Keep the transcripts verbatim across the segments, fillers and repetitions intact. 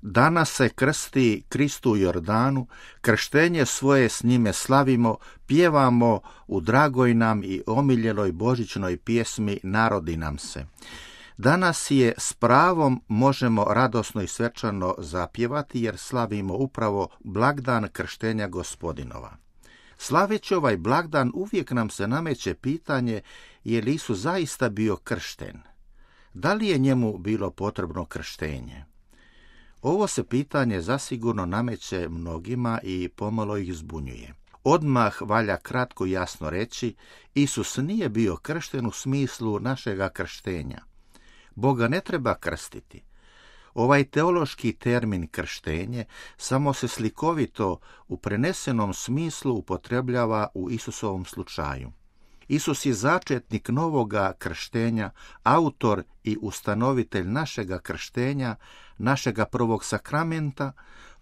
Danas se krsti Kristu u Jordanu, krštenje svoje s njime slavimo, pjevamo u dragoj nam i omiljenoj božićnoj pjesmi Narodi nam se. Danas je s pravom možemo radosno i svečano zapjevati jer slavimo upravo blagdan krštenja Gospodinova. Slaveći ovaj blagdan uvijek nam se nameće pitanje je li Isus zaista bio kršten. Da li je njemu bilo potrebno krštenje? Ovo se pitanje zasigurno nameće mnogima i pomalo ih zbunjuje. Odmah valja kratko i jasno reći, Isus nije bio kršten u smislu našega krštenja. Boga ne treba krstiti. Ovaj teološki termin krštenje samo se slikovito u prenesenom smislu upotrebljava u Isusovom slučaju. Isus je začetnik novoga krštenja, autor i ustanovitelj našega krštenja, našega prvog sakramenta,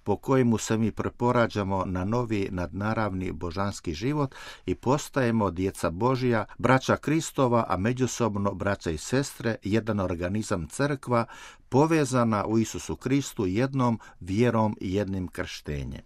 po kojemu se mi preporađamo na novi nadnaravni božanski život i postajemo djeca Božja, braća Kristova, a međusobno braća i sestre, jedan organizam crkva, povezana u Isusu Kristu jednom vjerom i jednim krštenjem.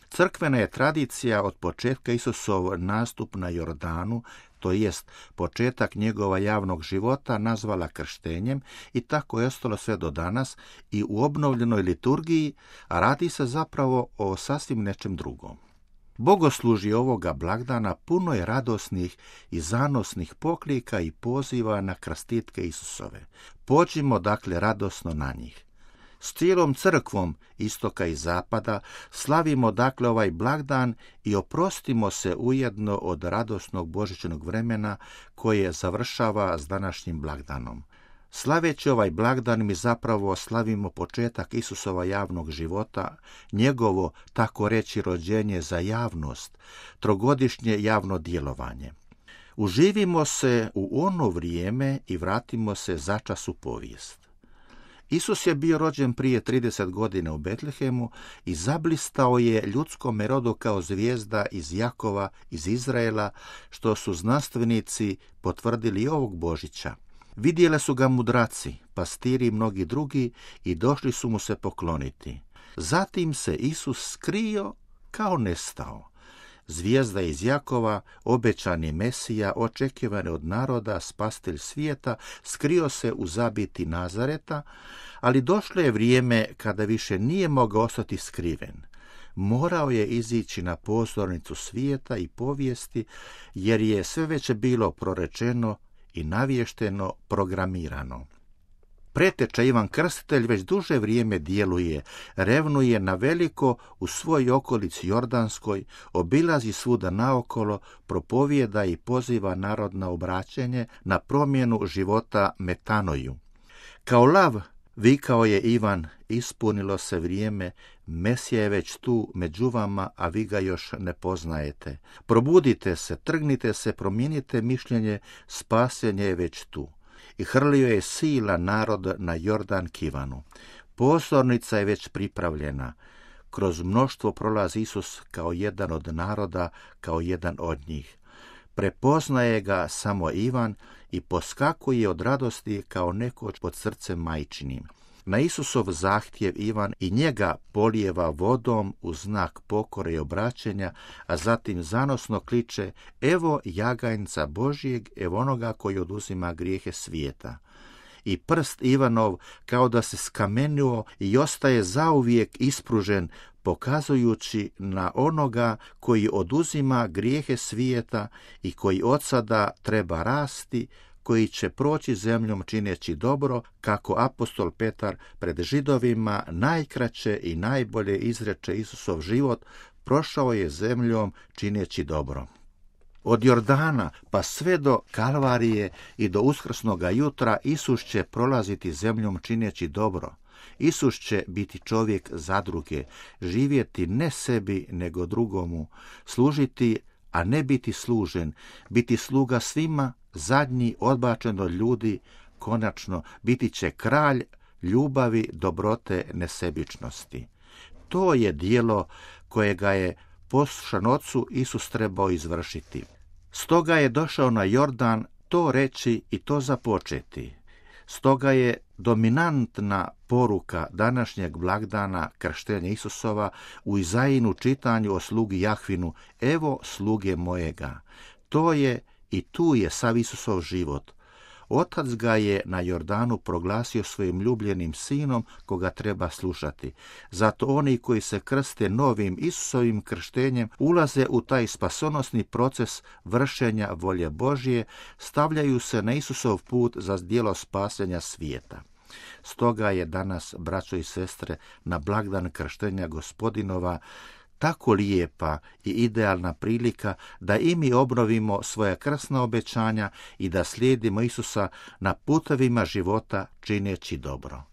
Crkvena je tradicija od početka Isusov nastup na Jordanu, to jest početak njegova javnog života, nazvala krštenjem i tako je ostalo sve do danas i u obnovljenoj liturgiji, a radi se zapravo o sasvim nečem drugom. Bogoslužje ovoga blagdana puno je radosnih i zanosnih poklika i poziva na krstitke Isusove. Pođimo dakle radosno na njih. S cijelom crkvom istoka i zapada slavimo dakle ovaj blagdan i oprostimo se ujedno od radosnog božićnog vremena koje završava s današnjim blagdanom. Slaveći ovaj blagdan mi zapravo slavimo početak Isusova javnog života, njegovo, tako reći, rođenje za javnost, trogodišnje javno djelovanje. Uživimo se u ono vrijeme i vratimo se začas u povijest. Isus je bio rođen prije trideset godina u Betlehemu i zablistao je ljudskom rodu kao zvijezda iz Jakova, iz Izraela, što su znanstvenici potvrdili ovog Božića. Vidjeli su ga mudraci, pastiri i mnogi drugi i došli su mu se pokloniti. Zatim se Isus skrio kao nestao. Zvijezda iz Jakova, obećani Mesija, očekivane od naroda, spastelj svijeta, skrio se u zabiti Nazareta, ali došlo je vrijeme kada više nije mogao ostati skriven. Morao je izići na pozornicu svijeta i povijesti, jer je sve već bilo prorečeno i navješteno, programirano. Preteča Ivan Krstitelj već duže vrijeme djeluje, revnuje na veliko u svoj okolici Jordanskoj, obilazi svuda naokolo, propovijeda i poziva narod na obraćenje, na promjenu života metanoju. Kao lav, vikao je Ivan, ispunilo se vrijeme, Mesija je već tu među vama, a vi ga još ne poznajete. Probudite se, trgnite se, promijenite mišljenje, spasenje je već tu. I hrlio je sila narod na Jordan Kivanu. Pozornica je već pripravljena. Kroz mnoštvo prolazi Isus kao jedan od naroda, kao jedan od njih. Prepoznaje ga samo Ivan i poskakuje od radosti kao nekoć pod srcem majčinim. Na Isusov zahtjev Ivan i njega polijeva vodom u znak pokore i obraćenja, a zatim zanosno kliče: evo jaganjca Božijeg, evo onoga koji oduzima grijehe svijeta. I prst Ivanov kao da se skamenio i ostaje zauvijek ispružen, pokazujući na onoga koji oduzima grijehe svijeta i koji od sada treba rasti, koji će proći zemljom čineći dobro, kako apostol Petar pred Židovima najkraće i najbolje izreče Isusov život, prošao je zemljom čineći dobro. Od Jordana pa sve do Kalvarije i do uskrsnoga jutra Isus će prolaziti zemljom čineći dobro. Isus će biti čovjek zadruge, živjeti ne sebi nego drugomu, služiti, a ne biti služen, biti sluga svima, zadnji odbačen od ljudi, konačno biti će kralj ljubavi, dobrote, nesebičnosti. To je djelo kojega je poslušan Ocu Isus trebao izvršiti. Stoga je došao na Jordan to reći i to započeti. Stoga je dominantna poruka današnjeg blagdana krštenja Isusova u Izajinu čitanju o slugi Jahvinu: evo sluge mojega. To je i tu je sav Isusov život. Otac ga je na Jordanu proglasio svojim ljubljenim sinom koga treba slušati. Zato oni koji se krste novim Isusovim krštenjem ulaze u taj spasonosni proces vršenja volje Božje, stavljaju se na Isusov put za djelo spasenja svijeta. Stoga je danas, braćo i sestre, na blagdan krštenja Gospodinova tako lijepa i idealna prilika da i mi obnovimo svoja krsna obećanja i da slijedimo Isusa na putovima života čineći dobro.